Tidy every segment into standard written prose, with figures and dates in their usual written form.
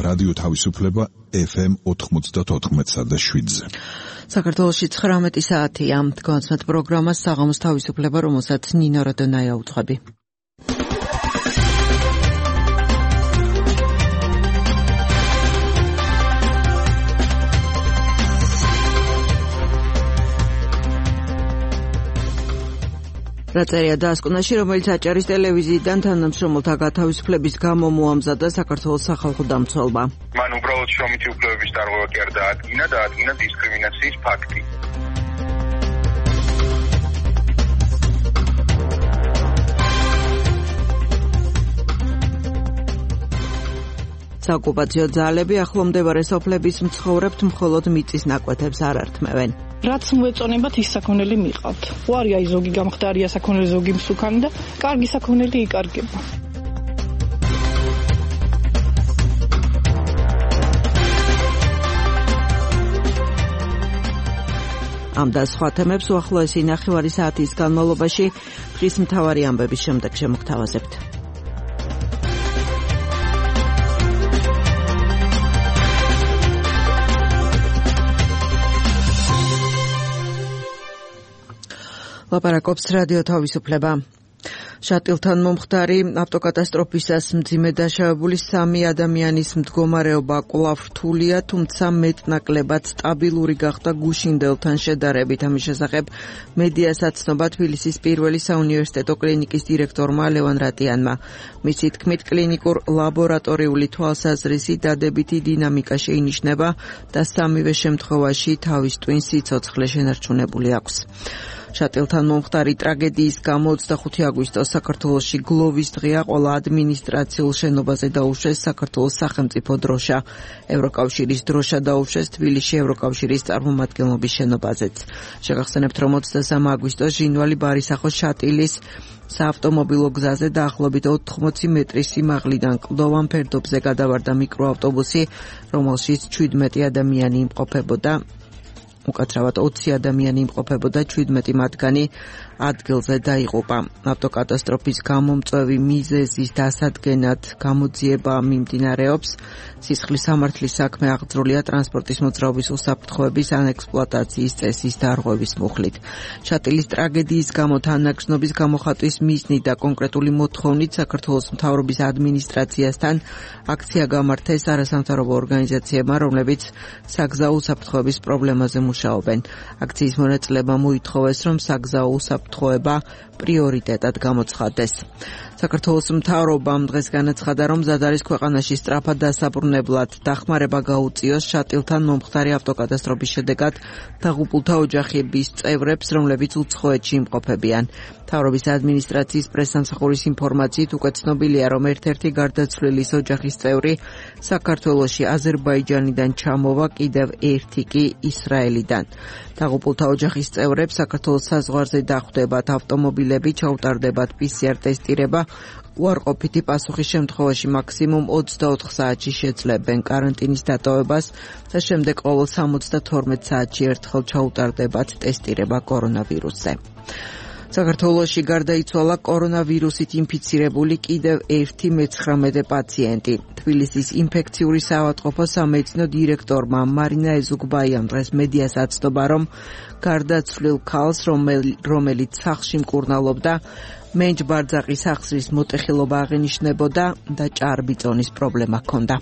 რადიო თავისუფლება FM 94.7-ზე. საქართველოში 19 საათია. განსმეთ პროგრამას საღამოს თავისუფლება, რომელსაც ნინო როდონაია უძღვები. რაწერია დაასკვნაში, რომელიც აჭარის ტელევიზიიდან თანამშრომელთა გათავისუფლების გამო მოამზადა საქართველოს სახალხო დამცველმა. მან უბრალოდ შრომითი უფლებების დარღვევა კი არ დაადგინა დისკრიმინაციის ფაქტი. საოკუპაციო ძალები ახლომდებარე სოფლების მცხოვრებთ მხოლოდ მიწის ნაკვეთებს არ ართმევენ. რაც მოეწონებათ ის საქონელი მიყავთ. უარი აი ზოგი გამხდარია საქონელი, ზოგი მსუქანი და კარგი საქონელი იკარგება. ამ და სხვა თემებს უახლოესი ნახევარი საათის განმავლობაში დღის მთავარი ამბების შემდეგ შემოგთავაზებთ. ლაპარაკობს რადიო თავისუფლება. შატილთან მომხდარი ავტოკატასტროფისას მძიმე დაშავებული 3 ადამიანის მდგომარეობა კვლავ რთულია, თუმცა მეტნაკლებად სტაბილური გახდა გუშინდელთან შედარებით. ამის შესახებ მედიას აცნობა თბილისის პირველი საუნივერსიტეტო კლინიკის დირექტორმა ლევან რატიანმა. მისი თქმით, კლინიკურ ლაბორატორიული თვალსაზრისი დადებითი დინამიკა შეინიშნება და სამივე შემთხვევაში თავის ტვინ სიცოცხლე შენარჩუნებული აქვს. შატილთან მომხდარი ტრაგედიის გამო 25 აგვისტოს საქართველოში გლოვის დღეა, ყველა ადმინისტრაციულ შენობაზე დაუშვეს საქართველოს სახელმწიფო დროშა. ევროკავშირის დროშა დაუშვეს თბილისში ევროკავშირის წარმომადგენლობის შენობაზეც. შეგახსენებთ, რომ 23 აგვისტოს ჟინვალი ბარისახოს შატილის საავტომობილო გზაზე დაახლოებით 80 მეტრის სიმაღლიდან კლდოვან ფერდობზე გადავარდა მიკროავტობუსი, რომელშიც 17 ადამიანი იმყოფებოდა. უკაცრავად 20 ადამიანი იმყოფებოდა, 17 მათგანი ადგილზე დაიღუპა. ავტოკატასტროფის გამომწვევი მიზეზის დასადგენად გამოძიება მიმდინარეობს. სისხლის სამართლის საქმე აღძრულია ტრანსპორტის მოძრაობის უსაფრთხოების ან ექსპლუატაციის წესის დარღვევის მუხლით. შატილის ტრაგედიის გამო თანაგრძნობის გამოხატვის მიზნით და კონკრეტული მოთხოვნით საქართველოს მთავრობის ადმინისტრაციასთან აქცია გამართეს არასამთავრობო ორგანიზაციებმა, რომლებიც საგზაო უსაფრთხოების პრობლემაზე მუშაობენ. აქციის მონაწილეებმა მოითხოვეს, რომ საგზაო უსაფრთხოება პრიორიტეტად გამოცხადდეს. საქართველოს მთავრობამ დღეს განაცხადა, რომ მზად არის ქვეყანაში სწრაფად დასაბრუნებლად დახმარება გაუწიოს შატილთან მომხდარი ავტოკატასტროფის შედეგად დაღუპულთა ოჯახების წევრებს, რომლებიც უცხოეთში იმყოფებიან. მთავრობის ადმინისტრაციის პრესსამსახურის ინფორმაციით უკვე ცნობილია, რომ ერთ-ერთი გარდაცვლილის ოჯახის წევრი საქართველოში აზერბაიჯანიდან ჩამოვა, კიდევ ერთი კი ისრაელიდან. დაღუპულთა ოჯახის წევრებს საქართველოს საზღვარზე დახვდებათ ავტომობილები, ჩაუტარდებათ PCR ტესტირება, უარყოფითი პასუხის შემთხვევაში მაქსიმუმ 24 საათში შეძლებენ კარანტინის დატოვებას და შემდეგ ყოველ 72 საათში ერთხელ ჩაუტარდებათ ტესტირება კორონავირუსზე. საქართველოში გარდაიცვალა კორონავირუსით ინფიცირებული კიდევ ერთი მე-19 პაციენტი. თბილისის ინფექციური საავადმყოფო სამედიცინო დირექტორმა მარინა ეზუგბაიამ დღეს მედიას აცნობა, რომ გარდაცვლილ ქალს, რომელიც სახლში მკურნალობდა, მენჯ-ბარძაყის ახსრის მოტეხილობა აღინიშნებოდა და ჭარბიწონის პრობლემა ჰქონდა.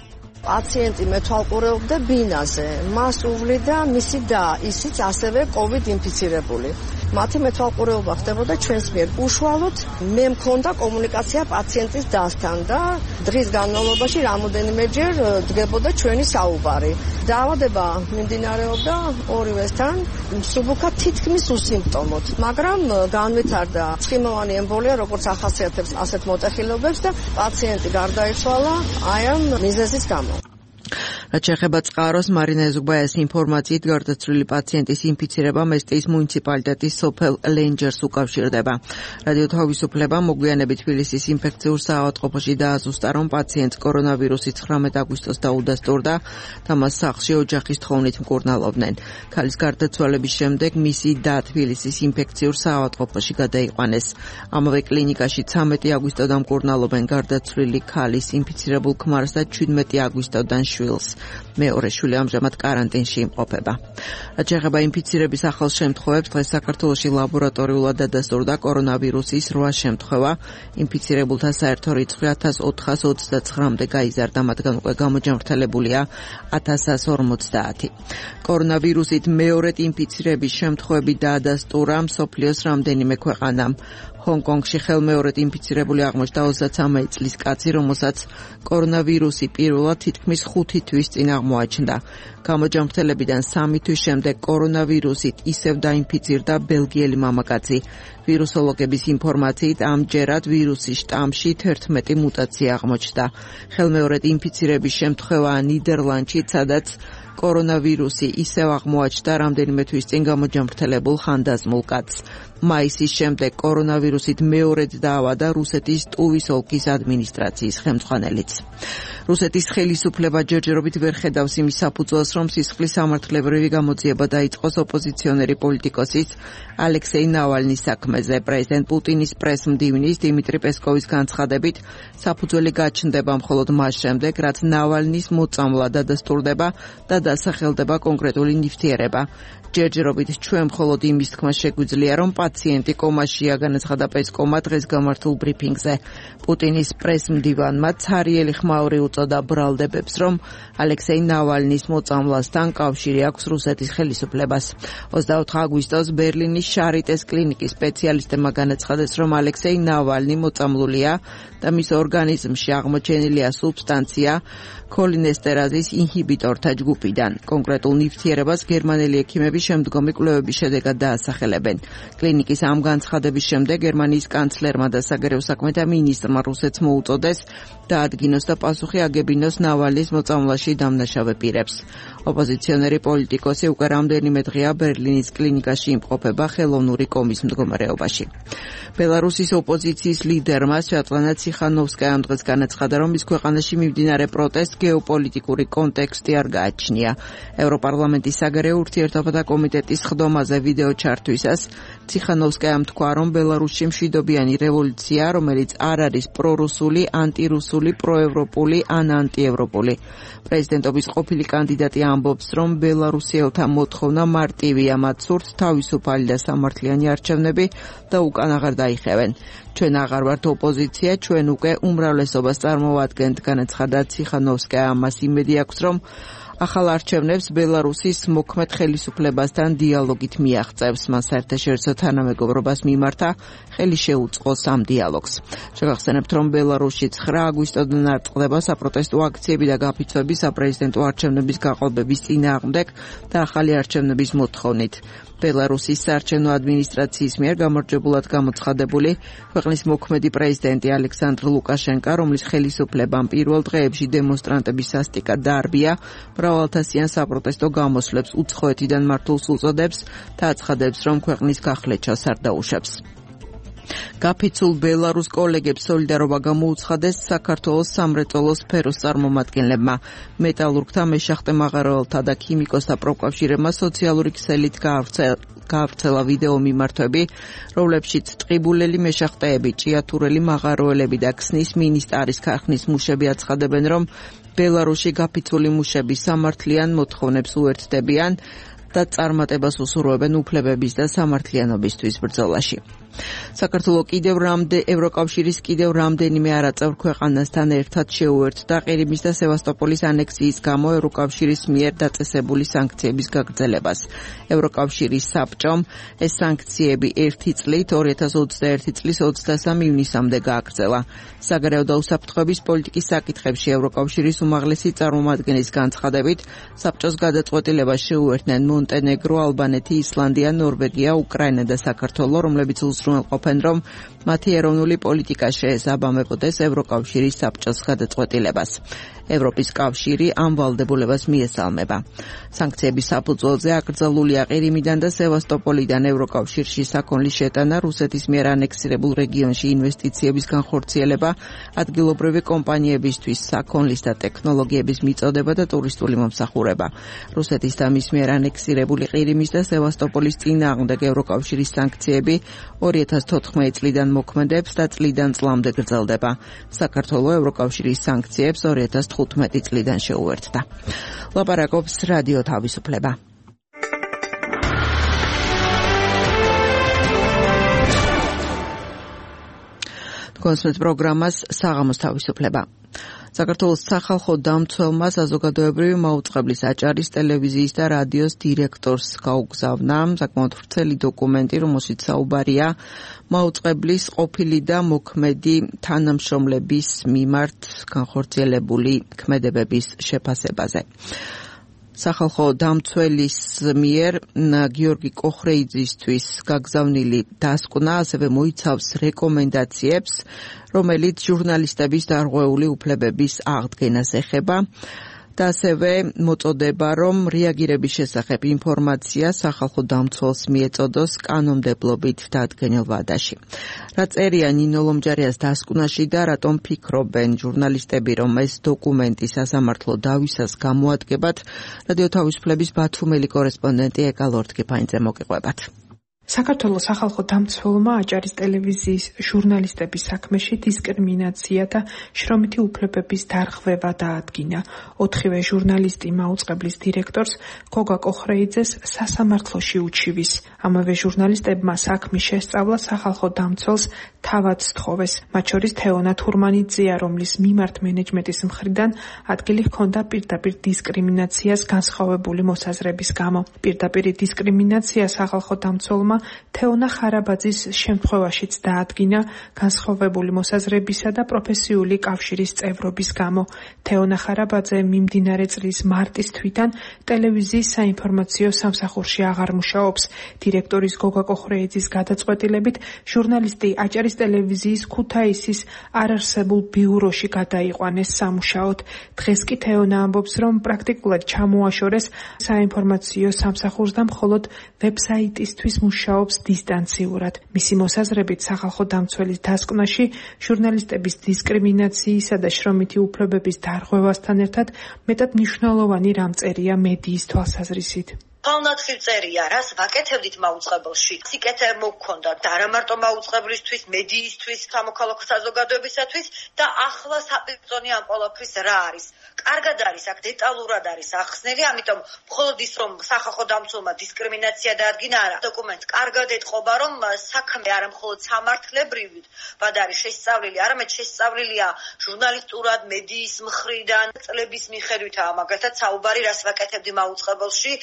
პაციენტი მეთვალყურეობდა ბინაზე, მას უვლიდა მისი და ისიც ასევე COVID ინფიცირებული. მათი მეთვალყურეობა ხდებოდა ჩვენს მიერ. უშუალოდ მე მქონდა კომუნიკაცია პაციენტის დასთან და დღის განმავლობაში რამოდენიმეჯერ დგებოდა ჩვენი საუბარი. დაავადება მიმდინარეობდა ორივესთან, მსუბუქად თითქმის უსიმპტომოდ, მაგრამ განვითარდა ცხიმოვანი ემბოლია, როგორც ახასიათებს ასეთ მოტეხილობებს და პაციენტი გარდაიცვალა აი ამ მიზეზის გამო. რაც შეეხება წყაროს, მარინა ეზუგბაიას ინფორმაციით გარდაცვლილი პაციენტის ინფიცირება მესტიის მუნიციპალიტეტის სოფელ ლენჯერს უკავშირდება. რადიო თავისუფლება მოგვიანებით თბილისის ინფექციურ საავადმყოფოში დააზუსტა, რომ პაციენტს კორონავირუსი 19 აგვისტოს დაუდასტურდა და მას სახლში ოჯახის თხოვნით მკურნალობდნენ. ქალის გარდაცვალების შემდეგ მისი და თბილისის ინფექციურ საავადმყოფოში გადაიყვანეს. ამავე კლინიკაში 13 აგვისტოდან მკურნალობენ გარდაცვლილი ქალის ინფიცირებულ ქმარს და 17 აგვისტოდან შვილს. მეორე შვილი ამჟამად კარანტინში იმყოფება. რაც შეეხება ინფიცირების ახალ შემთხვევებს, დღეს საქართველოში ლაბორატორიულად დადასტურდა კორონავირუსის 8 შემთხვევა. ინფიცირებულთა საერთო რიცხვი 1429-მდე გაიზარდა, მათგან უკვე გამოჯანმრთელებულია 1150. კორონავირუსით მეორედ ინფიცირების შემთხვევები დაადასტურა მსოფლიოს რამდენიმე ქვეყანამ. ჰონგ-კონგში ხელმეორედ ინფიცირებული აღმოჩნდა 33 წლის კაცი, რომელსაც კორონავირუსი პირველად თითქმის 5 თვის წინ აღმოაჩნდა. გამოჯანმრთელებიდან 3 თვის შემდეგ კორონავირუსით ისევ დაინფიცირდა ბელგიელი მამაკაცი. ვირუსოლოგების ინფორმაციით ამჯერად ვირუსის შტამში 11 მუტაცია აღმოჩნდა. ხელმეორედ ინფიცირების შემთხვევაა ნიდერლანდში, სადაც კორონავირუსი ისევ აღმოაჩნდა რამდენიმე თვის წინ გამოჯანმრთელებულ ხანდაზმულ კაცს. მაისის შემდეგ კორონავირუსით მეორედ დაავადდა რუსეთის ტუვის ოლქის ადმინისტრაციის ხელმძღვანელიც. რუსეთის ხელისუფლება ჯერჯერობით ვერ ხედავს იმის საფუძველს, რომ სისხლის სამართლებრივი გამოძიება დაიწყოს ოპოზიციონერი პოლიტიკოსის ალექსეი ნავალნის საქმეზე. პრეზიდენტ პუტინის პრესმდივნის დიმიტრი პესკოვის განცხადებით, საფუძველი გაჩნდება მხოლოდ მას შემდეგ, რაც ნავალნის მოწამვლა დადასტურდება და დასახელდება კონკრეტული ნივთიერება. ჯერჯერობით ჩვენ მხოლოდ იმის თქმა შეგვიძლია, რომ პაციენტი კომაშია, განაცხადა პესკოვმა დღეს გამართულ ბრიფინგზე. პუტინის პრესმდივანმა ცარიელი ხმაური უწოდა ბრალდებებს, რომ ალექსეი ნავალნის მოწამვლასთან კავშირი აქვს რუსეთის ხელისუფლებას. 24 აგვისტოს ბერლინის შარიტეს კლინიკის სპეციალისტებმა განაცხადეს, რომ ალექსეი ნავალნი მოწამლულია და მის ორგანიზმში აღმოჩენილია სუბსტანცია ქოლინესტერაზის ინჰიბიტორთა ჯგუფიდან. კონკრეტულ ნივთიერებას გერმანელი ექიმები შემდგომი კვლევების შედეგად დაასახელებენ. კლინიკის ამ განცხადების შემდეგ გერმანიის კანცლერმა და საგარეო საქმეთა მინისტრმა რუსეთს მოუწოდეს დაადგინოს და პასუხი აგებინოს ნავალნის მოწამვლაში დამნაშავე პირებს. ოპოზიციონერი პოლიტიკოსი უკვე რამდენიმე დღეა ბერლინის კლინიკაში იმყოფება ხელოვნური კომის მდგომარეობაში. ბელარუსის ოპოზიციის ლიდერმა სვიატლანა ციხანოვსკაიამ დღეს განაცხადა, რომ მის ქვეყანაში მიმდინარე პროტესტს გეოპოლიტიკური კონტექსტი არ გააჩნია. ევროპარლამენტის საგარეო ურთიერთობათა კომიტეტის ხდომაზე ვიდეო ჩართვისას ციხანოვსკაიამ თქვა, რომ ბელარუსში მშვიდობიანი რევოლუცია, რომელიც არ არის პრორუსული, ანტირუსული, პროევროპული ან ანტიევროპული. პრეზიდენტობის ყოფილი კანდიდატი ამბობს, რომ ბელარუსიელთა მოთხოვნა მარტივია, მათ სურთ თავისუფალი და სამართლიანი არჩევნები და უკან აღარ დაიხევენ. ჩვენ აღარ ვართ ოპოზიცია, ჩვენ უკვე უმრავლესობას წარმოვადგენთ, განაცხადა ციხანოვსკაია. ამას იმედი აქვს, რომ ახალ არჩევნებს ბელარუსის მოქმედ ხელისუფლებასთან დიალოგით მიაღწევს. მან საერთაშორისო თანამეგობრობას მიმართა ხელი შეუწყოს ამ დიალოგს. შეგახსენებთ, რომ ბელარუსში 9 აგვისტოდან არტყდება საპროტესტო აქციები და გაფიცვები საპრეზიდენტო არჩევნების გაყოლბების წინააღმდეგ და ახალი არჩევნების მოთხოვნით. ბელარუსის საარჩევნო ადმინისტრაციის მიერ გამარჯვებულად გამოცხადებული ქვეყნის მოქმედი პრეზიდენტი ალექსანდრ ლუკაშენკა, რომლის ხელისუფლებამ პირველ დღეებში დემონსტრანტების სასტიკად დაარბია, მრავალთასიან საპროტესტო გამოსვლებს უცხოეთიდან მართულს უწოდებს და აცხადებს, რომ ქვეყნის გახლეჩას არ დაუშვებს. გაფიცულ ბელარუს კოლეგებს სოლიდარობა გამოუცხადეს საქართველოს სამრეწველო სფეროს წარმომადგენლებმა. მეტალურგთა, მეშახტე მაღაროელთა და ქიმიკოსთა პროფკავშირებმა სოციალური ქსელით გაავრცელა ვიდეო მიმართვები, რომლებშიც ტყიბულელი მეშახტეები, ჭიათურელი მაღაროელები და ქსნის მინისტარის ქარხნის მუშები აცხადებენ, რომ ბელარუსში გაფიცული მუშები სამართლიან მოთხოვნებს უერთდებიან და წარმატებას უსურვებენ უფლებების და სამართლიანობისთვის ბრძოლაში. საქართველოს ევროკავშირის კიდევ რამდენიმე არაწევრ ქვეყანასთან ერთად შეუერთდა ყირიმის და სევასტოპოლის ანექსიის გამო ევროკავშირის მიერ დაწესებული სანქციების გაგრძელებას. ევროკავშირის საბჭომ ეს სანქციები 1 წლით 2021 წლის 23 ივნისამდე გააგრძელა. საგარეო და უსაფრთხოების პოლიტიკის საკითხებში ევროკავშირის უმაღლესი წარმომადგენლის განცხადებით, საბჭოს გადაწყვეტილებას შეუერთდნენ მონტენეგრო, ალბანეთი, ისლანდია, ნორვეგია, უკრაინა და საქართველო, რომლებიც უზრუნველყოფენ, რომ მათი ეროვნული პოლიტიკა შეესაბამებოდეს ევროკავშირის საბჭოს გადაწყვეტილებას. ევროპის კავშირი ამ ვალდებულებას მიესალმება. სანქციების საფუძველზე აკრძალულია ყირიმიდან და სევასტოპოლიდან ევროკავშირში საქონლის შეტანა, რუსეთის მიერ ანექსირებულ რეგიონში ინვესტიციების განხორციელება, ადგილობრივი კომპანიებისთვის საქონლის და ტექნოლოგიების მიწოდება და ტურისტული მომსახურება. რუსეთის და მის მიერ ანექსირებული ყირიმის და სევასტოპოლის წინააღმდეგ ევროკავშირის სანქციები 2014 წლიდან მოქმედებს და წლიდან წლამდე გრძელდება. საქართველოს ევროკავშირის სანქციებს 2015 წლიდან შეუერთდა. ლაპარაკობს რადიო თავისუფლება. კონსულტ პროგრამას საღამოს თავისუფლება. საქართველოს სახალხო დამცველმა საზოგადოებრივი მაუწყებლის აჭარის ტელევიზიის და რადიოს დირექტორს გაუგზავნა საკმაოდ ვრცელი დოკუმენტი, რომელშიც საუბარია მაუწყებლის ყოფილი და მოქმედი თანამშრომლების მიმართ განხორციელებული ქმედებების შეფასებაზე. სახალხო დამცველის მიერ გიორგი კოხრეიძისთვის გაგზავნილი დასკვნა ასევე მოიცავს რეკომენდაციებს, რომელიც ჟურნალისტების დარღვეული უფლებების აღდგენას ეხება და ასევე მოწოდება, რომ რეაგირების შესახებ ინფორმაცია სახალხო დამცველს მიეწოდოს კანონმდებლობით დადგენილ ვადაში. რა წერია ნინო ლომჯარიას დასკვნაში და რატომ ფიქრობენ ჟურნალისტები, რომ ეს დოკუმენტი სასამართლო დავისას გამოადგებათ, რადიო თავისუფლების ბათუმელი კორესპონდენტი ეკა ლორთქიფაინძე მოგიყვებათ. საქართველოს სახალხო დამცველმა აჭარის ტელევიზიის ჟურნალისტების საქმეში დისკრიმინაცია და შრომითი უფლებების დარღვევა დაადგინა. 4-ვე ჟურნალისტი მაუწყებლის დირექტორს გოგა კოხრეიძეს სასამართლოში უჩივის. ამავე ჟურნალისტებმა საქმის შესწავლა სახალხო დამცველს თავად სთხოვეს. მათ შორის თეონა თურმანიძეა, რომლის მიმართ მენეჯმენტის მხრიდან ადგილი ჰქონდა პირდაპირ დისკრიმინაციას განსხვავებული მოსაზრების გამო. პირდაპირი დისკრიმინაცია სახალხო დამცველმა თეონა ხარაბაძის შემთხვევაშიც დაადგინა განსხვავებული მოსაზრებისა და პროფესიული კავშირის წევრობის გამო. თეონა ხარაბაძე მიმდინარე წლის მარტის თვიდან ტელევიზიის საინფორმაციო სამსახურში აღარ მუშაობს. დირექტორის გოგა კოხრეიძის გადაწყვეტილებით ჟურნალისტი აჭარის ტელევიზიის ქუთაისის არარსებულ ბიუროში გადაიყვანეს სამუშაოდ. დღეს კი თეონა ამბობს, რომ პრაქტიკულად ჩამოაშორეს საინფორმაციო სამსახურს და მხოლოდ ვებსაიტისთვის მუშაობს დისტანციურად. მისი მოსაზრებით სახალხო დამცველის დასკვნაში ჟურნალისტების დისკრიმინაციისა და შრომითი უფლებების დარღვევასთან ერთად მეტად მნიშვნელოვანი რამ წერია მედიის თვალსაზრისით. Palnatxil წერია, რას ვაკეთებდით მაუწყებელში. სიკეთე მოგქონდა და არა მარტო მაუწყებლისთვის, მედიისთვის, სამოქალაქო საზოგადოებისათვის და ახლა საპირწონე ამ ყველაფრის რა არის. კარგად არის, აქ დეტალურად არის ახსნელი, ამიტომ მხოლოდ ის რომ სახალხო დამცველმა დისკრიმინაცია დაადგინა, არა, დოკუმენტს კარგად ეტყობა, რომ საქმე არა მხოლოდ სამართლებრივად არის შესწავლილი, არამედ შესწავლილია ჟურნალისტურად, მედიის მხრიდან, წლების მიხედვითაა მაგალითად საუბარი, რას ვაკეთებდი მაუწყებელში.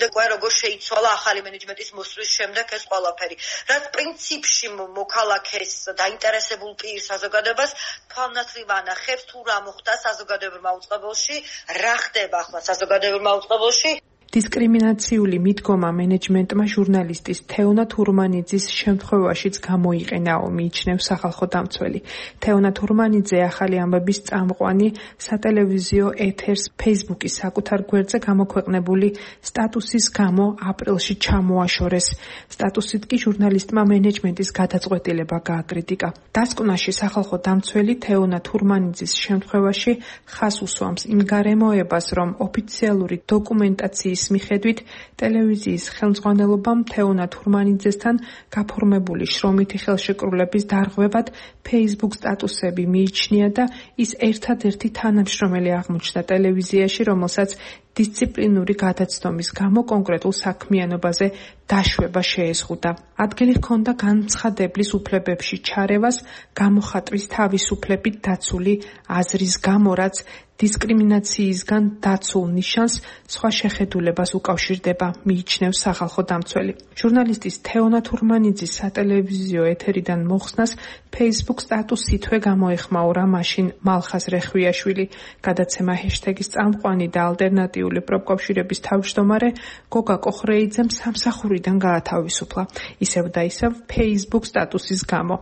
შემდეგ როგორ შეიცვალა ახალი მენეჯმენტის მოსვლის შემდეგ ეს ყველაფერი. რაც პრინციპში მოქალაქეს დაინტერესებულ პირ საზოგადოებას თვალნათლივ ანახებს თუ რა მოხდა საზოგადოებრივ მაუწყებელში, რა ხდება ახლა საზოგადოებრივ მაუწყებელში. დისკრიმინაციული მიდგომა მენეჯმენტმა ჟურნალისტის თეონა თურმანიძის შემთხვევაშიც გამოიყენაო, მიიჩნევს სახალხო დამცველი. თეონა თურმანიძე ახალი ამბების წამყვანი სატელევიზიო ეთერს ფეისბუქის საკუთარ გვერდზე გამოქვეყნებული სტატუსის გამო აპრილში ჩამოაშორეს. სტატუსით კი ჟურნალისტმა მენეჯმენტის გადაწყვეტილება გააკრიტიკა. დასკვნაში სახალხო დამცველი თეონა თურმანიძის შემთხვევაში ხაზს უსვამს იმ გარემოებას, რომ ოფიციალური დოკუმენტაციის მიხედვით ტელევიზიის ხელმძღვანელობამ თეონა თურმანიძესთან გაფორმებული შრომითი ხელშეკრულების დარღვევად Facebook სტატუსები მიიჩნია და ის ერთადერთი თანამშრომელი აღმოჩნდა ტელევიზიაში, რომელსაც დისციპლინური გადაცდომის გამო კონკრეტულ საქმიანობაზე დაშვება შეეზღუდა. ადგილი ჰქონდა განცხადებლის უფლებებში ჩარევას, გამოხატვის თავისუფლებით დაცული აზრის გამო, რაც დისკრიმინაციისგან დაცულ ნიშანს სხვა შეხედულებას უკავშირდება, მიიჩნევს სახალხო დამცველი. ჟურნალისტის თეონა თურმანიძის სატელევიზიო ეთერიდან მოხსნას Facebook სტატუსითვე გამოეხმაურა მაშინ მალხაზ რეხვიაშვილი. გადაცემა ჰეშტეგის წამყვანი და ალტერნატიული პროფკავშირების თავმჯდომარე გოგა კოხრეიძემ სამსახურიდან გაათავისუფლა. ისევ და ისევ Facebook სტატუსის გამო.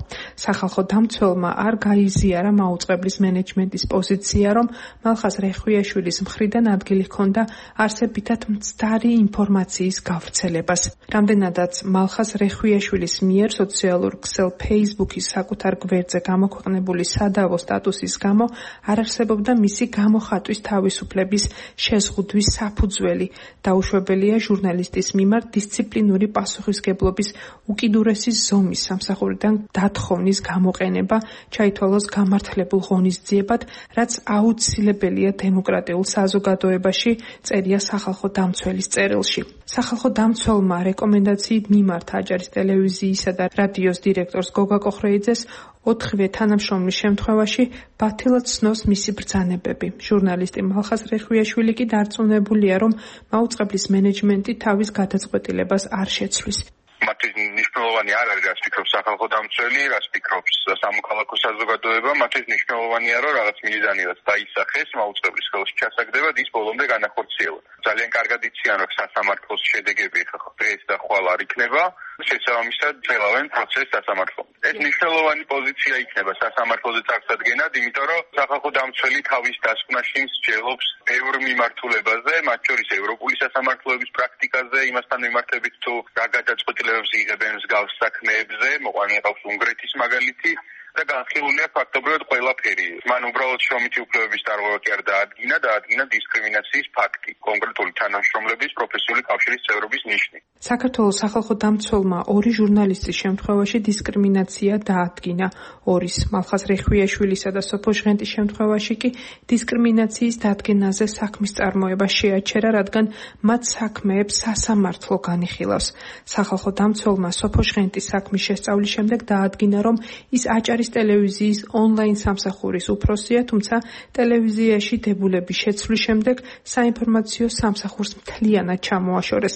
სახალხო დამცველმა არ გაიზიარა მაუწყებლის მენეჯმენტის პოზიცია, რომ მალხაზ რეხვიაშვილის მხრიდან ადგილი ჰქონდა არსებითად მცდარი ინფორმაციის გავრცელებას. რამდენადაც მალხაზ რეხვიაშვილის მიერ სოციალურ ქსელ Facebook-ის საკუთარ გვერდზე გამოქვეყნებული სადავო სტატუსის გამო არ არსებობდა მისი გამოხატვის თავისუფლების შეზღუდვის საფუძველი. დაუშვებელია ჟურნალისტის მიმართ დისციპლინური პასუხისგებლობის უკიდურესი ზომის სამსახურიდან დათხოვნის გამოყენება, ჩაითვალოს გამართლებულ ღონისძიებად, რაც აუცილებელია დემოკრატიულ საზოგადოებაში, წერია სახალხო დამცველის წერილში. სახალხო დამცველმა რეკომენდაციით მიმართა აჭარის ტელევიზიისა და რადიოს დირექტორს გოგა კოხრეიძეს 4 თანამშრომლის შემთხვევაში ბათილად ცნოს მისი ბრძანებები. ჟურნალისტი მალხაზ რეხვიაშვილი კი დარწმუნებულია, რომ მაუწყებლის მენეჯმენტი თავის გადაწყვეტილებას არ შეცვლის. მათთვის მნიშვნელოვანი არ არის, რაც ფიქრობს სახალხო დამცველი, რაც ფიქრობს სამოქალაქო საზოგადოება, მათთვის მნიშვნელოვანია, რომ რაღაც მიზანი რაც დაისახეს მაუწყებლის ხელში ჩასაგდებად, ის ბოლომდე განახორციელოს. ძალიან კარგად იციან, რომ სასამართლოს შედეგები დღეს და ხვალ არ იქნება, შესაბამისად ძლევენ პროცესს სასამართლომდე. ეს მნიშვნელოვანი პოზიცია იქნება სასამართლოზე წარსადგენად, იმიტომ რომ სახალხო დამცველი თავის დასკვნაში მსჯელობს ბევრ მიმართულებაზე, მათ შორის ევროპული სასამართლოების პრაქტიკაზე, იმასთან მიმართებით თუ რა გადაწყვეტილებებს იღებენ მსგავს საქმეებზე, მოყვანილი ყავს უნგრეთის მაგალითი და განხილულია ფაქტობრივად ყველაფერი. მან უბრალოდ შრომითი უფლებების დარღვევა კი არ დაადგინა დისკრიმინაციის ფაქტი, კონკრეტული თანამშრომლების პროფესიული კავშირის წევრობის ნიშნი. საქართველოს სახალხო დამცველმა 2 ჟურნალისტის შემთხვევაში დისკრიმინაცია დაადგინა. 2-ის მალხაზ რეხვიაშვილისა და სოფო ჟღენტის შემთხვევაში კი დისკრიმინაციის დადგენაზე საქმის წარმოება შეაჩერა, რადგან მათ საქმეებს სასამართლო განიხილავს. სახალხო დამცველმა სოფო ჟღენტის საქმის შესწავლის შემდეგ დაადგინა, რომ ის აჭარის ტელევიზიის ონლაინ სამსახურის უფროსია, თუმცა ტელევიზიაში დებულების შეცვლის შემდეგ საინფორმაციო სამსახურს მთლიანად ჩამოაშორეს.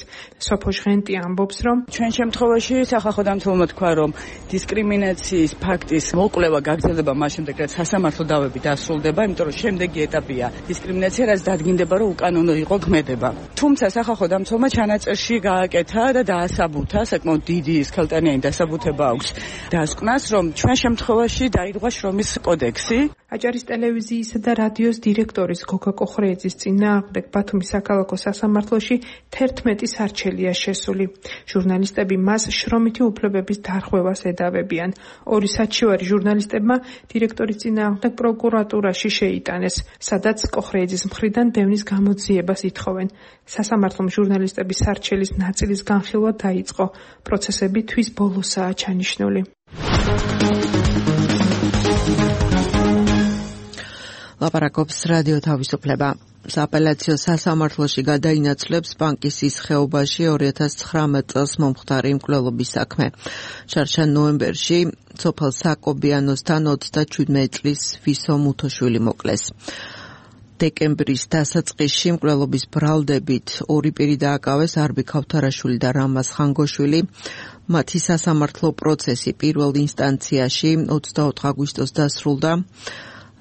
სოფო ჟღენტი ამბობს, რომ ჩვენ შემთხვევაში სახალხო დამცველმა თქვა, რომ დისკრიმინაციის ფაქტის მოკვლევა გაგრძელდება მას შემდეგ, რაც სასამართლო დავები დასრულდება, იმიტომ რომ შემდეგი ეტაპია დისკრიმინაცია, რაც დადგინდება, რომ უკანონო იყო ქმედება. თუმცა სახალხო დამცველმა ჩანაწერში გააკეთა და დაასაბუთა, საკმაოდ დიდი სქელტანიანი დასაბუთება აქვს დასკვნას, რომ ჩვენ შემთხვევაში დაირღვა შრომის კოდექსი. აჭარის ტელევიზიისა და რადიოს დირექტორის გოგა კოხრეიძის წინააღმდეგ ბათუმის საქალაქო სასამართლოში 11 სარჩელია შესული. ჟურნალისტები მას შრომითი უფლებების დარღვევას ედავებიან. 2 საჩივარი ჟურნალისტებმა დირექტორის წინააღმდეგ პროკურატურაში შეიტანეს, სადაც კოხრეიძის მხრიდან დევნის გამოძიებას ითხოვენ. სასამართლომ ჟურნალისტების სარჩელის ნაწილის განხილვა დაიწყო. პროცესები თვის ბოლოსაა ჩანიშნული. ლაპარაკობს რადიო თავისუფლება. სააპელაციო სასამართლოში გადაინაცვლებს ბანკის ის ხეობაში 2019 წელს მომხდარი მკვლელობის საქმე. შარშან ნოემბერში სოფელ საკობიანოსთან 37 წლის ვისო მუთოშვილი მოკლეს. დეკემბრის დასაწყისში მკვლელობის ბრალდებით 2 პირი დააკავეს არბი ქავთარაშვილი და რამაზ ხანგოშვილი. მათი სასამართლო პროცესი პირველ ინსტანციაში 24 აგვისტოს დასრულდა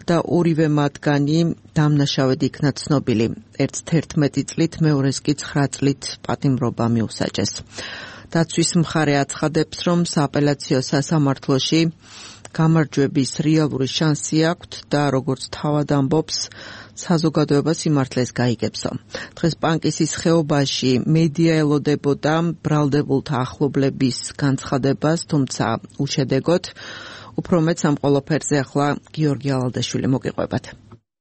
და ორივე მათგანი დამნაშავედ იქნა ცნობილი. ერთს 11 წლით, მეორეს კი 9 წლით პატიმრობა მიუსაჯეს. დაცვის მხარე აცხადებს, რომ სააპელაციო სასამართლოში გამარჯვების რეალური შანსი აქვთ და როგორც თავად ამბობს, საზოგადოება სიმართლეს გაიგებსო. დღეს პანკისის ხეობაში მედია ელოდებოდა ბრალდებულთა ახლობლების განცხადებას, თუმცა უშედეგოდ. უფრო მეტ ამ ყველაფერზე ახლა გიორგი ალალდაშვილი მოგიყვებათ.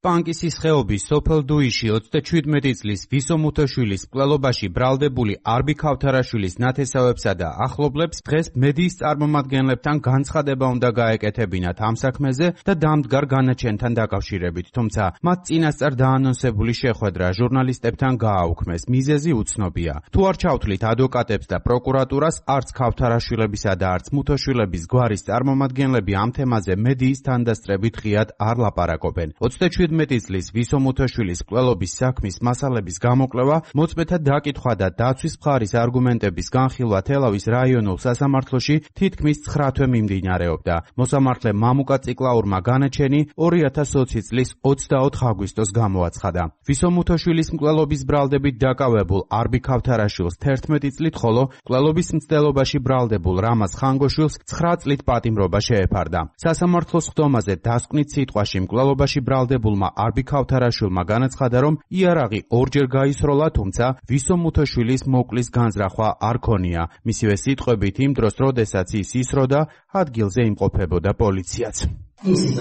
პანკისის ხეობის სოფელ დუიში 37 წლის ვისო მუთოშვილის მკვლელობაში ბრალდებული არბი ქავთარაშვილის ნათესავებსა და ახლობლებს დღეს მედიის წარმომადგენლებთან განცხადება უნდა გაეკეთებინათ ამ საქმეზე და დამდგარ განაჩენთან დაკავშირებით, თუმცა მათ წინასწარ დაანონსებული შეხვედრა ჟურნალისტებთან გააუქმეს. მიზეზი უცნობია. თუ არ ჩავთვლით ადვოკატებს და პროკურატურას, არც ქავთარაშვილებისა და არც მუთოშვილების გვარის წარმომადგენლები ამ თემაზე მედიის თანდასწრებით ღიად არ ლაპარაკობენ. 37 17 წლის ვისო მუთაშვილის მკვლელობის საქმის მასალების გამოკვლევა, მოწმეთა დაკითხვა და დაცვის მხარის არგუმენტების განხილვა თელავის რაიონულ სასამართლოში თითქმის 9 თვე მიმდინარეობდა. მოსამართლე მამუკა ციკლაურმა განაჩენი 2020 წლის 24 აგვისტოს გამოაცხადა. ვისო მუთაშვილის მკვლელობის ბრალდებით დაკავებულ არბი ქავთარაშვილს 11 წლით, ხოლო მკვლელობის მცდელობაში ბრალდებულ რამაზ ხანგოშვილს 9 წლით პატიმრობა შეეფარდა. სასამართლოს ხდომაზე დასკვნით სიტყვაში მკვლელობაში ბრალდებულმა არბი ქავთარაშვილმა განაცხადა, რომ იარაღი ორჯერ გაისროლა, თუმცა ვისო მუთაშვილის მოკლის განზრახვა არ ქონია. მისივე სიტყვებით, იმ დროს, როდესაც ის ისროდა, ადგილზე იმყოფებოდა პოლიციაც. ისიც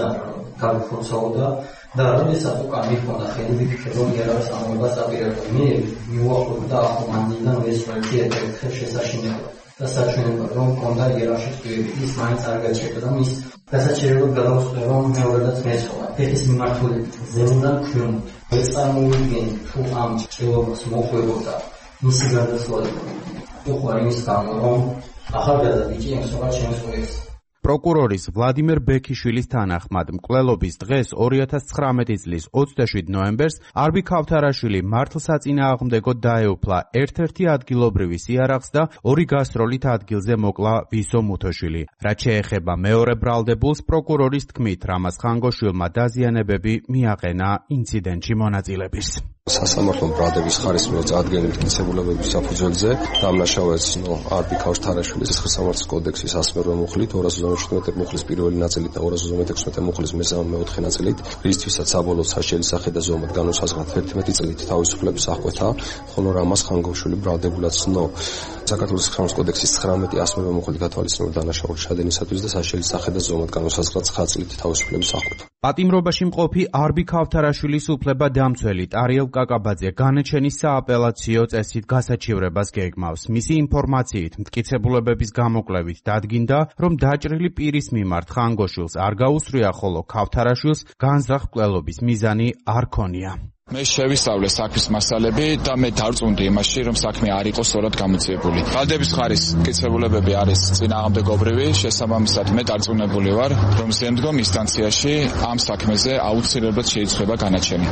გამიფორცაოდა და როდესაც უკან მიხონდა ხელი ვიფიქრე, რომ იარაღის ამობას აპირებდა. მე მივუახლოვდა ახალმანიდან ვესწრებდი ერთ შესაშინებლად და საჩვენებად, რომ მქონდა იარაღში წვიები, ის მაინც არ გაჩერდა და მის დასაჩერებლად გადავწყვიტე, რომ მეორედაც მეცხოვა. ფეხის მიმართულებით ზემოდან ქვემოთ. ეს წარმოვიდგენი, თუ ამ ჭრილობას მოხვებოდა მისი გარდაცვალება. უყვარ იმის გამო, რომ ახალგაზრდა ბიჭი ემსახურა ჩემს ყველას. პროკურორის ვლადიმერ ბექიშვილის თანახმად, მკვლელობის დღეს 2019 წლის 27 ნოემბერს არბი ქავთარაშვილი მართლსაწინააღმდეგოდ დაეუფლა ერთ-ერთი ადგილობრივის იარაღს და 2 გასროლით ადგილზე მოკლა ვისო მუთოშვილი. რაც შეეხება მეორე ბრალდებულს, პროკურორის თქმით, რამაზ ხანგოშვილმა დაზიანებები მიაყენა ინციდენტში მონაწილეებს. სასამართლომ ბრალდების ხარის მიერ წარდგენილი მტკიცებულებების საფუძველზე დამნაშავე ეცნო არბი ქავთარაშვილის სასამართლოს კოდექსის 108 მუხლით, 257 მუხლის პირველი ნაწილით და 256 მუხლის მე-4 ნაწილით, რისთვისაც საბოლოო საშელისახე და ზომად განუსაზღვრად 11 წლით თავისუფლების აღკვეთა, ხოლო რამაზ ხანგოშვილი ბრალდებულად ცნო საქართველოს სამართლის კოდექსის 19-108 მუხლით გათვალისწინებულ დანაშაულის ჩადენისათვის და საშელისახე და ზომად განუსაზღვრად 9 წლით თავისუფლების აღკვეთა. პატიმრობაში მყოფი არბი ქავთარაშვილის უფლება-დამცველი ტარიელ კაკაბაძე განაჩენის სააპელაციო წესით გასაჩივრებას გეგმავს. მისი ინფორმაციით, მტკიცებულებების გამოკვლევით დადგინდა, რომ დაჭრილი პირის მიმართ ხანგოშვილს არ გაუსწრია, ხოლო ქავთარაშვილს განზრახ მკვლელობის მიზანი არ ქონია. მე შევისწავლე საქმის მასალები და მე დარწმუნდი იმაში, რომ საქმე არ იყო სწორად გამოძიებული. ბრალდების ხარის მტკიცებულებები არის წინააღმდეგობრივი, შესაბამისად მე დარწმუნებული ვარ, რომ ზემდგომ ინსტანციაში ამ საქმეზე აუცილებლად შეიცვლება განაჩენი.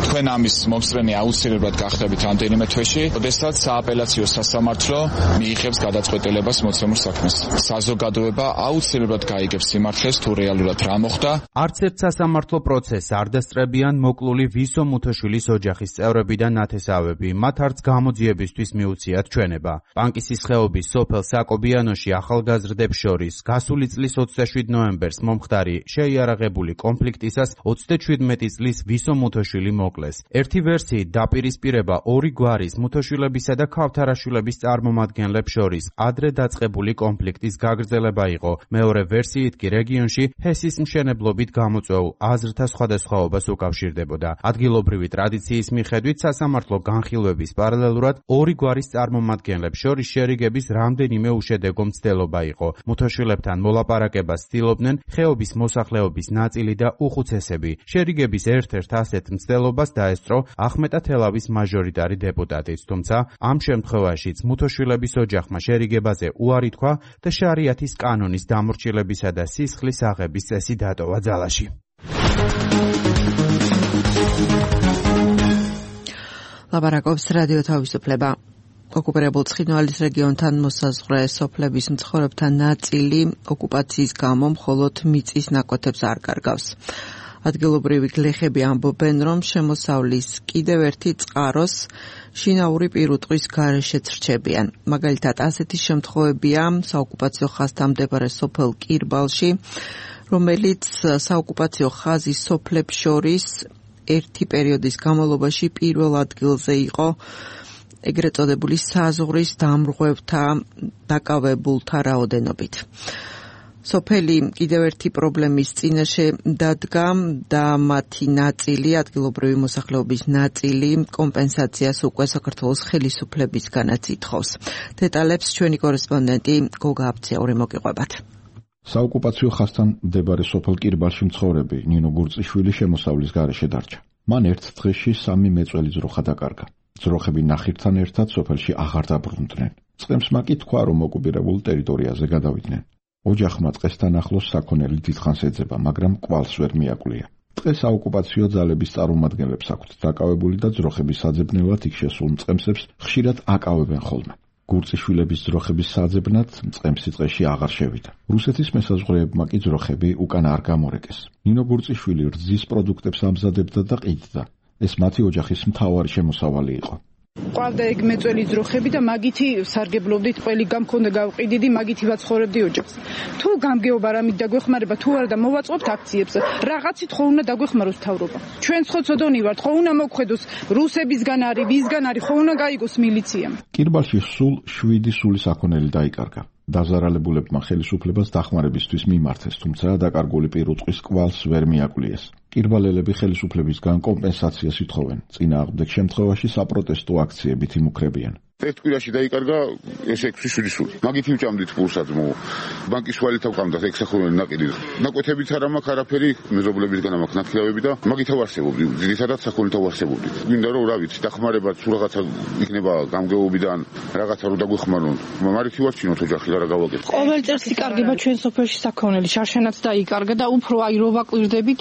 თქვენ ამის მომსწრენი აუცილებლად გახდებით რამდენიმე თვეში, როდესაც სააპელაციო სასამართლო მიიღებს გადაწყვეტილებას მოცემულ საქმეს. საზოგადოება აუცილებლად გაიგებს სიმართლეს, თუ რეალურად რა მოხდა. არც ერთ სასამართლო პროცესს არ დასწრებიან მოკლული ვისო მუთოშვილი ოჯახის წევრები და ნათესავები, მათ არც გამოძიებისთვის მიუციათ ჩვენება. პანკისის ხეობის სოფელ საკობიანოში ახალგაზრდებს შორის გასული წლის 27 ნოემბერს მომხდარი შეიარაღებული კონფლიქტისას 37 წლის ვისო მუთოშვილი მოკლეს. ერთი ვერსიით დაპირისპირება 2 გვარის მუთოშვილებისა და ქავთარაშვილების წარმომადგენლებს შორის ადრე დაწყებული კონფლიქტის გაგრძელება იყო. მეორე ვერსიით კი რეგიონში ჰესის მშენებლობით გამოწვეულ აზრთა სხვადასხვაობას უკავშირდებოდა. ადგილობრივი ტრადიციის მიხედვით სასამართლო განხილვების პარალელურად 2 გვარის წარმომადგენლებს შორის შერიგების რამდენიმე უშედეგო მცდელობა იყო. მუთოშვილებთან მოლაპარაკებას ცდილობდნენ ხეობის მოსახლეობის ნაწილი და უხუცესები. შერიგების ერთ-ერთ ასეთ მცდელობას დაესწრო ახმეტა თელავის მაჟორიტარი დეპუტატიც, თუმცა ამ შემთხვევაშიც მუთოშვილების ოჯახმა შერიგებაზე უარი თქვა და შარიათის კანონის დამორჩილებისა და სისხლის აღების წესი დატოვა ძალაში. ლაპარაკობს რადიო თავისუფლება. ოკუპირებულ ცხინვალის რეგიონთან მოსაზღვრე სოფლების მცხოვრებთა ნაწილი ოკუპაციის გამო მხოლოდ მიწის ნაკვეთებს არ კარგავს. ადგილობრივი გლეხები ამბობენ, რომ შემოსავლის კიდევ ერთი წყაროს შინაური პირუტყვის გარეშეც რჩებიან. მაგალითად, ასეთი შემთხვევებია საოკუპაციო ხაზთან მდებარე სოფელ კირბალში, რომელიც საოკუპაციო ხაზის სოფლებს შორის ერთი პერიოდის განმავლობაში პირველ ადგილზე იყო ეგრეთ წოდებული საზღვრის დამრღვევთა დაკავებულთა რაოდენობით. სოფელი კიდევ ერთი პრობლემის წინაშე დადგა და მათი ნაწილი, ადგილობრივი მოსახლეობის ნაწილი, კომპენსაციას უკვე საქართველოს ხელისუფლებისგანაც ითხოვს. დეტალებს ჩვენი კორესპონდენტი გოგა აბციური მოგიყვებათ. საოკუპაციო ხაზთან მდებარე სოფელ კირბალში მცხოვრები ნინო გურწიშვილი შემოსავლის გარეშე დარჩა. მან ერთ დღეში 3 მეწველი ძროხა დაკარგა. ძროხები ნახირთან ერთად სოფელში აღარ დაბრუნდნენ. წყემსმა კი თქვა, რომ ოკუპირებულ ტერიტორიაზე გადავიდნენ. ოჯახმა წყესთან ახლოს საქონელი დიდხანს ეძება, მაგრამ კვალს ვერ მიაკვლია. დღეს საოკუპაციო ძალების წარმომადგენლებს აქვთ დაკავებული და ძროხების საძებნელად იქ შესულ მწყემსებს ხშირად აკავებენ ხოლმე. გურწიშვილების ძროხების საძებნად მწყემსი წეში აღარ შევიდა. რუსეთის მესაზღვრეებმა კი ძროხები უკან არ გამორეკეს. ნინო გურწიშვილი რძის პროდუქტებს ამზადებდა და ყიდდა. ეს მათი ოჯახის მთავარი შემოსავალი იყო. ყავდა ეგ მეწველი ძროხები და მაგითი სარგებლობდით, ყველი გამქონდა გავყიდიდი, მაგითი ვაცხოვრებდი ოჯახს. თუ გამგეობა რამით დაგვეხმარება, თუ არა და მოვაწყობთ აქციებს, რაღაცით ხო უნდა დაგვეხმაროს მთავრობა. ჩვენ ხოცოდონი ვართ, ხო უნდა მოგხედოს რუსებისგან არის, ვისგან არის, ხო უნდა გაიგოს მილიციამ. კირბალში სულ 7 სული საქონელი დაიკარგა. დაზარალებულებმა ხელისუფლებას დახმარებისთვის მიმართეს, თუმცა დაკარგული პირუტყვის კვალს ვერ მიაკლიეს. კირბალელები ხელისუფლებისგან კომპენსაციას ითხოვენ. წინააღმდეგ შემთხვევაში საპროტესტო აქციებით იმუქრებიან. ერთ კვირაში დაიკარგა ეს 6-7 სული. მაგით იმჭამდით პულსაც მო. ბანკის ვალით ავყავდა 6 საქონელი ნაკიდი. ნაკვეთებიც არ მაქვს არაფერი, მეზობლებისგან მაქვს ნათლავები და მაგით ავარსებობდი. ძირითადად საქონელით ავარსებობდი. გვინდა რომ რა ვიცი, დახმარება თუ რაღაცა იქნება გამგეობიდან, რაღაცა რომ დაგვეხმარონ. მარიქი ვარჩინოთ ოჯახი რა გავაკეთოთ. ყოველ წელს იკარგება ჩვენ სოფელში საქონელი, შარშანაც დაიკარგა და უფრო აი რო ვაკვირდებით,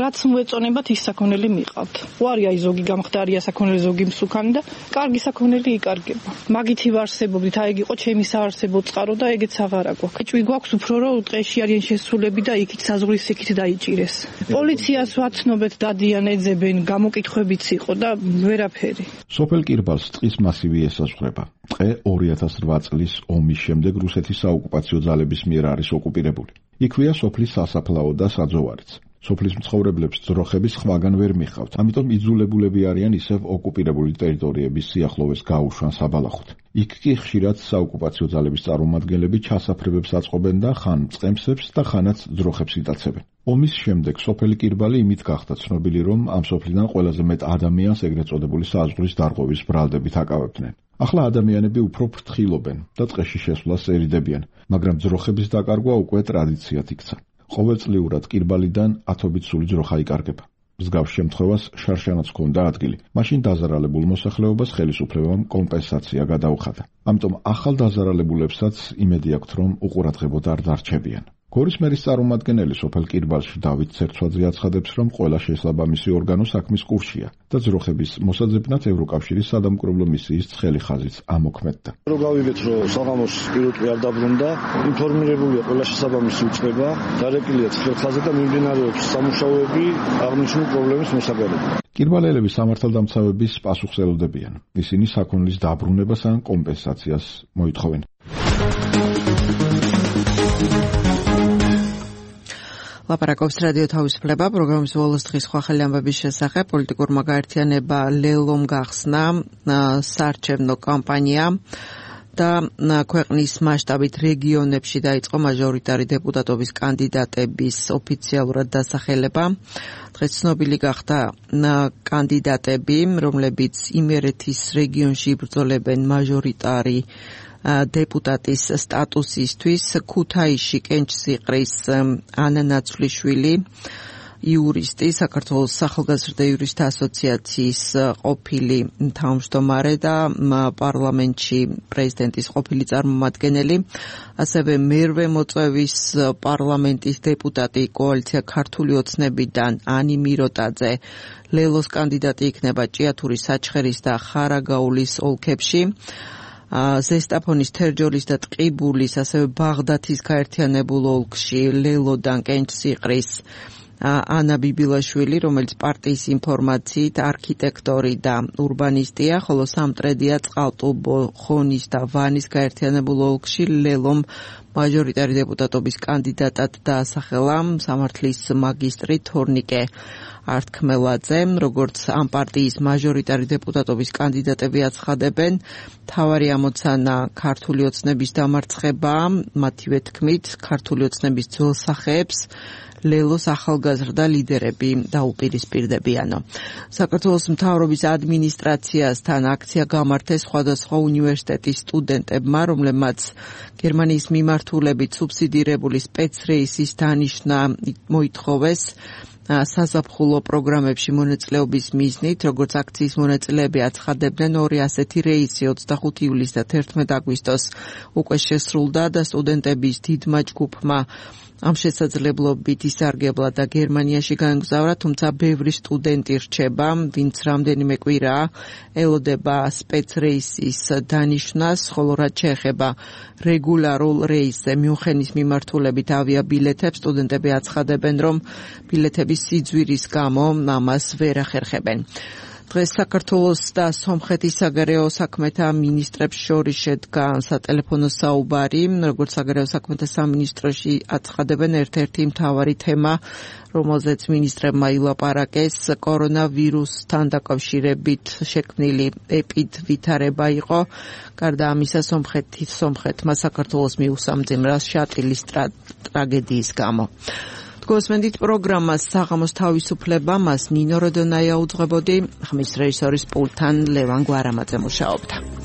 რაც მოეწონებათ ის საქონელი მიყავთ. უარი აი ზოგი გამხდარია საქონელი, ზოგი მსუქანი და კარგი საქონელი იკარგება. მაგითი ვარსებობდით, აი იყო ჩემი საარსებო წყარო და ეგეც აღარა გვაქვს. ჭვი გვაქვს უფრო რომ ტყეში არიან შესულები და იქით საზღვრის იქით დაიჭირეს. პოლიციას ვაცნობეთ, დადიან, ეძებენ, გამოკითხვებიც იყო და ვერაფერი. სოფელ კირბალს ტყის მასივი ესაზღვრება. ტყე 2008 წლის ომის შემდეგ რუსეთის საოკუპაციო ძალების მიერ არის ოკუპირებული. იქვეა სოფლის სასაფლაო და საძოვარიც. სოფლის მცხოვრებლებს ძროხები სხვაგან ვერ მიხავთ, ამიტომ იძულებულები არიან ისევ ოკუპირებული ტერიტორიების სიახლოვეს გაუშვან საბალახოდ. იქ კი ხშირად საოკუპაციო ძალების წარმომადგენლები ჩასაფრებებს აწყობენ და ხან მწყემსებს და ხანაც ძროხებს იტაცებენ. ომის შემდეგ სოფელი კირბალი იმით გახდა ცნობილი, რომ ამ სოფლიდან ყველაზე მეტ ადამიანს ეგრეთ წოდებული საზღვრის დარღვევის ბრალდებით აკავებდნენ. ახლა ადამიანები უფრო ფრთხილობენ და ტყეში შესვლას ერიდებიან, მაგრამ ძროხების დაკარგვა უკვე ტრადიციად იქცა. ყოველწლიურად კირბალიდან 10 სული ძროხა იკარგება. მსგავს შემთხვევას შარშანაც ჰქონდა ადგილი. მაშინ დაზარალებულ მოსახლეობას ხელისუფლებამ კომპენსაცია გადაუხადა. ამიტომ ახალ დაზარალებულებსაც იმედი აქვთ, რომ უყურადღებოდ არ დარჩებიან. გორის მერის წარმომადგენელი სოფელ კირბალში დავით ცერცვაძე აცხადებს, რომ ყველა შესაბამისი ორგანო საქმის კურსშია და ძროხების მოსაძებნად ევროკავშირის სადამკვირვებლო მისიის ცხელი ხაზიც ამოქმედდა. რო გავიგეთ, რომ საღამოს პირუტყვი არ დაბრუნდა, ინფორმირებულია ყველა შესაბამისი უწყება, დარეკილია ცხელ ხაზზე და მიმდინარეობს სამუშაოები აღნიშნული პრობლემის მოსაგვარებლად. კირბალელები სამართალდამცავების პასუხს ელოდებიან. ისინი საქონლის დაბრუნებას ან კომპენსაციას მოითხოვენ. ლაპარაკობს რადიო თავისუფლება პროგრამის ბოლოს დღის სხვა ხელი ამბების შესახებ. პოლიტიკურმა გაერთიანება ლელომ გახსნა საარჩევნო კამპანია და ქვეყნის მასშტაბით რეგიონებში დაიწყო მაჟორიტარი დეპუტატობის კანდიდატების ოფიციალურად დასახელება. დღეს ცნობილი გახდა კანდიდატები, რომლებიც იმერეთის რეგიონში იბრძოლებენ მაჟორიტარი დეპუტატის სტატუსისთვის. ქუთაისში კენჭსიყრის ანა ნაცვლიშვილი, იურისტი, საქართველოს ახალგაზრდა იურისტთა ასოციაციის ყოფილი თავმჯდომარე და პარლამენტში პრეზიდენტის ყოფილი წარმომადგენელი, ასევე მერვე მოწვევის პარლამენტის დეპუტატი კოალიცია ქართული ოცნებიდან ანი მიროტაძე ლელოს კანდიდატი იქნება ჭიათურის, საჩხერის და ხარაგაულის ოლქებში. ზესტაფონის, თერჯოლის და ტყიბულის, ასევე ბაღდათის გაერთიანებულ ოლქში ლელოდან კენჭსიყრის ანა ბიბილაშვილი, რომელიც პარტიის ინფორმაციით არქიტექტორი და ურბანისტია, ხოლო სამტრედია, წყალტუბო, ხონის და ვანის გაერთიანებულ ოლქში ლელომ მაჟორიტარი დეპუტატობის კანდიდატად დაასახელა სამართლის მაგისტრი თორნიკე ართქმელაძე. როგორც ამ პარტიის მაჟორიტარი დეპუტატობის კანდიდატები აცხადებენ, მთავარი ამოცანა ქართული ოცნების დამარცხება, მათივე თქმით, ქართული ოცნების ძველ სახეებს ლელოს ახალგაზრდა ლიდერები დაუპირისპირდებიანო. საქართველოს მთავრობის ადმინისტრაციასთან აქცია გამართეს სხვადასხვა უნივერსიტეტის სტუდენტებმა, რომლებმაც გერმანიის მიმართულებით სუბსიდირებული სპეცრეისის დანიშნა მოითხოვეს. საზაფხულო პროგრამებში მონაწილეობის მიზნით, როგორც აქციის მონაწილეები აცხადებდნენ, ორი ასეთი რეისი 25 ივლისს და 11 აგვისტოს უკვე შესრულდა და სტუდენტების დიდმა ჯგუფმა ამ შესაძლებლობით ისარგებლა და გერმანიაში გაემგზავრა, თუმცა ბევრი სტუდენტი რჩება, ვინც რამდენიმე კვირაა ელოდება სპეცრეისის დანიშვნას, ხოლო რაც შეეხება რეგულარულ რეისზე მიუნხენის მიმართულებით ავიაბილეთებს, სტუდენტები აცხადებენ, რომ ბილეთების სიძვირის გამო ამას ვერ ახერხებენ. დღეს საქართველოს და სომხეთის საგარეო საქმეთა მინისტრებს შორის შედგა სატელეფონო საუბარი, როგორც საგარეო საქმეთა სამინისტროში აცხადებენ, ერთ-ერთი მთავარი თემა, რომელზეც მინისტრებმა ილაპარაკეს, კორონავირუსთან დაკავშირებით შექმნილი ვითარება იყო. გარდა ამისა, სომხეთმა საქართველოს მიუსამძიმრა შატილის ტრაგედიის გამო. გოსმენდით პროგრამას საღამოს თავისუფლება, მას ნინო როდონაია უძღვებოდი, ხმის რეჟისორის პულტთან ლევან გვარამაძე მუშაობდა.